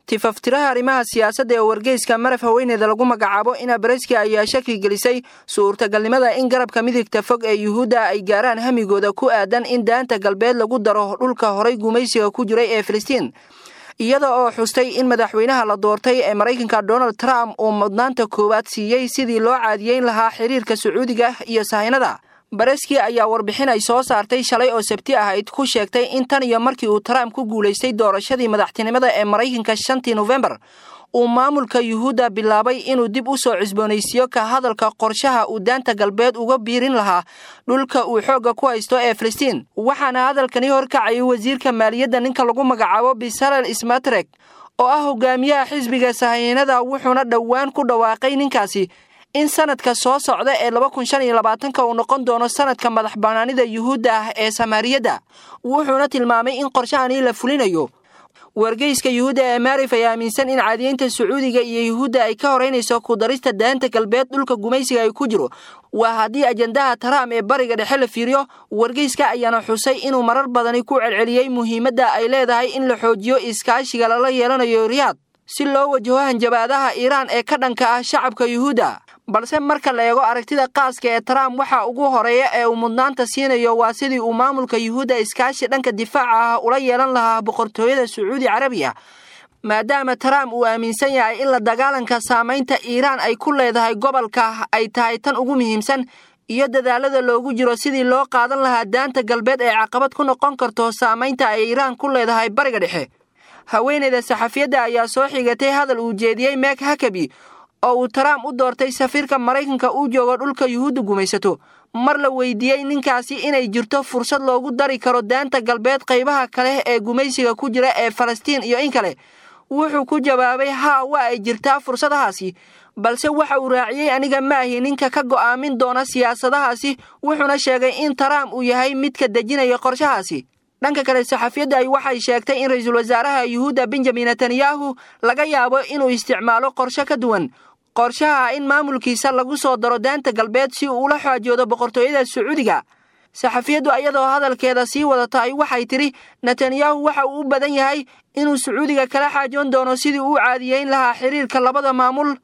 Tifaftiraha arrimaha siyaasadda ee wargeyska Maraf, haweeneyda lagu magacaabo Ina Bareski, ayaa shaki gelisay suurtagalnimada in garabka midigta fog ee Yuhuudda ay gaaraan hamigooda ku aadan in Daanta Galbeed lagu daro dhulka horay gumaysiga ku jiray ee Filistiin, iyada oo xustay in madaxweynaha la doortay ee Maraykanka Donald Trump uu mudnaanta koowaad siiyey sidii loo caadiyeyn lahaa xiriirka Sacuudiga iyo Sahaynada. Bareski ayaa warbixin ay soo saartay shalay oo Sabti ahayd ku sheegtay in tan iyo markii uu Trump ku guulaystay doorashadii madaxtinimada ee Maraykanka 5-tii Nofembar, uu maamulka Yuhuudda bilaabay inuu dib u soo cusboonaysiiyo ka hadalka qorshaha uu Daanta Galbeed uga biirin lahaa dhulka uu xoogga ku haysto ee Filistiin. Waxaana hadalkani horkacayay wasiirka maaliyadda ninka lagu magacaabo Bisalel Smatrek oo ah hogaamiyaha xisbiga Sahaynada, wuxuuna dhowaan ku dhawaaqay ninkaasi in sanadka soo socda ee 2025-ka uu noqon doono sanadka madax banaanida Yuhuudda ah ee Samaariyadda, wuxuuna tilmaamay in qorshahani la fulinayo. Wargeyska Yuhuudda ee Maarif ayaa aaminsan in caadiyeynta Sacuudiga iyo Yuhuudda ay ka horeynayso ku darista Daanta Galbeed dhulka gumaysiga ay ku jiro, waa haddii ajandaha Trump ee Bariga Dhexe la fiiriyo. Wargeyska ayaana xusay inuu marar badani ku celceliyey muhiimadda ay leedahay in la xoojiyo iskaashiga lala yeelanayo Riyaad si loo wajaho hanjabaadaha Iiraan ee ka dhanka ah shacabka Yuhuudda. Balse marka la eego aragtida qaaska ee Trump, waxa ugu horeeya ee uu mudnaanta siinayo waa sidii uu maamulka Yuhuudda iskaashi dhanka difaaca ah ula yeelan lahaa Boqortooyada Sacuudi Carabiya, maadaama Trump uu aaminsan yahay in la dagaalanka saamaynta Iiraan ay ku leedahay gobolka ay tahay tan ugu muhiimsan, iyo dadaalada loogu jiro sidii loo qaadan lahaa Daanta Galbeed ee caqabad ku noqon karto saamaynta ay Iiraan ku leedahay Bariga Dhexe. Haweeneyda saxafiyadda ayaa soo xigatay hadal uu jeediyey Mek Hakabi oo uu Trump u doortay safiirka Maraykanka uu joogo dhulka Yuhuudda gumaysato. Mar la weydiiyey ninkaasi inay jirto fursad loogu dari karo Daanta Galbeed qaybaha kale ee gumaysiga ku jira ee Falastiin iyo in kale, wuxuu ku jawaabay: "Haa, waa ay jirtaa fursadahaasi." Balse waxa uu raaciyey: "Aniga maahi ninka ka go'aamin doona siyaasadahaasi." Wuxuuna sheegay in Trump uu yahay midka dejinaya qorshahaasi. Dhanka kale, saxafiyadda ay waxay sheegtay in ra-iisul wasaaraha Yuhuudda Benjamin Netanyahu laga yaabo inuu isticmaalo qorshe ka duwan qorshaha in maamulkiisa lagu soo daro Daanta Galbeed si uu ula xaajoodo Boqortooyada Sacuudiga. Saxafiyaddu ayadoo hadalkeeda sii wadata ay waxay tidhi: "Netanyahu waxa uu u badan yahay inuu Sacuudiga kala xaajoon doono sidii uu caadiyeyn lahaa xiriirka labada maamul,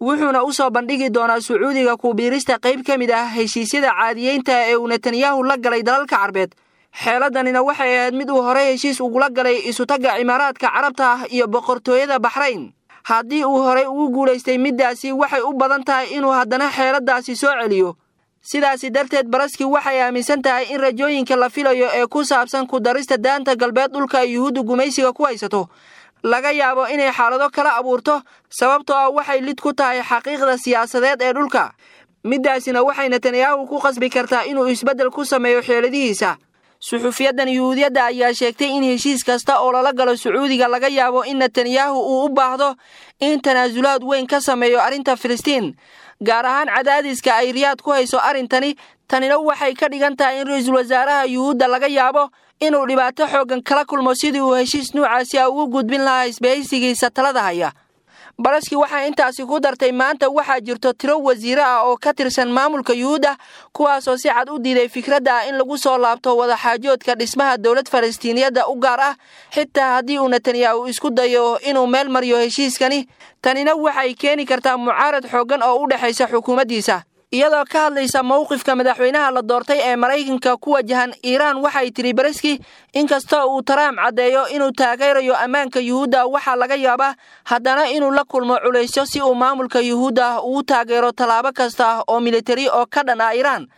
wuxuuna u soo bandhigi doonaa Sacuudiga ku biirista qayb ka mid ah heshiisyada caadiyeynta ee uu Netanyahu la galay dalalka Carbeed. Xeeladanina waxay ahayd mid uu horey heshiis ugula galay Isutagga Cimaaraadka Carabta ah iyo Boqortooyada Baxrayn. Haddii uu horey ugu guulaystay middaasi, waxay u badan tahay inuu haddana xeeladaasi soo celiyo." Sidaasi darteed, Baraski waxay aaminsan tahay in rajooyinka la filayo ee ku saabsan ku darista Daanta Galbeed dhulka ay Yuhuudda gumaysiga ku haysato laga yaabo inay xaalado kala abuurto, sababtoo ah waxay lid ku tahay xaqiiqda siyaasadeed ee dhulka. Middaasina waxay Netanyahu ku qasbi kartaa inuu isbeddel ku sameeyo xeeladihiisa. Suxufiyadan Yuhuudiyadda ayaa sheegtay in heshiis kasta oo lala galo Sacuudiga laga yaabo in Netanyahu uu u baahdo in tanaasulaad weyn ka sameeyo arrinta Filistiin, gaar ahaan cadaadiska ay Riyaad ku hayso arrintani. Tanina waxay ka dhigan tahay in ra-iisul wasaaraha Yuhuudda laga yaabo inuu dhibaato xooggan kala kulmo sidii uu heshiis nuucaasi a ugu gudbin lahaa isbahaysigiisa talada haya. Baraski waxaa intaasi ku dartay: "Maanta waxaa jirto tiro wasiiro ah oo ka tirsan maamulka Yuhuudda kuwaasoo si cad u diiday fikradda ah in lagu soo laabto wadaxaajoodka dhismaha dowlad Falastiiniyadda u gaar ah, xitaa haddii uu Netanyahu isku dayo inuu meel mariyo heshiiskani. Tanina waxay keeni kartaa mucaarad xooggan oo u dhexaysa xukuumaddiisa." Iyadoo ka hadlaysa mowqifka madaxweynaha la doortay ee Maraykanka ku wajahan Iiraan, waxay tidhi Bareski: "Inkastoo uu Trump caddeeyo inuu taageerayo ammaanka Yuhuudda, waxaa laga yaabaa haddana inuu la kulmo culaysyo si uu maamulka Yuhuudda ugu taageero tallaabo kasta oo militari oo ka dhan ah Iiraan,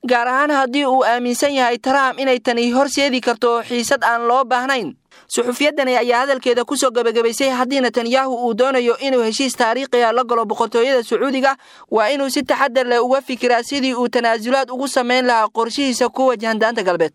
gaar ahaan haddii uu aaminsan yahay Trump inay tani horseedi karto xiisad aan loo baahnayn." Suxufiyadani ayaa hadalkeeda kusoo gebagabaysay: "Haddii Netanyahu uu doonayo inuu heshiis taariikhiga la galo Boqortooyada Sacuudiga, waa inuu si taxadar leh uga fikiraa sidii uu tanaasulaad ugu samayn lahaa qorshihiisa ku wajahan Daanta Galbeed."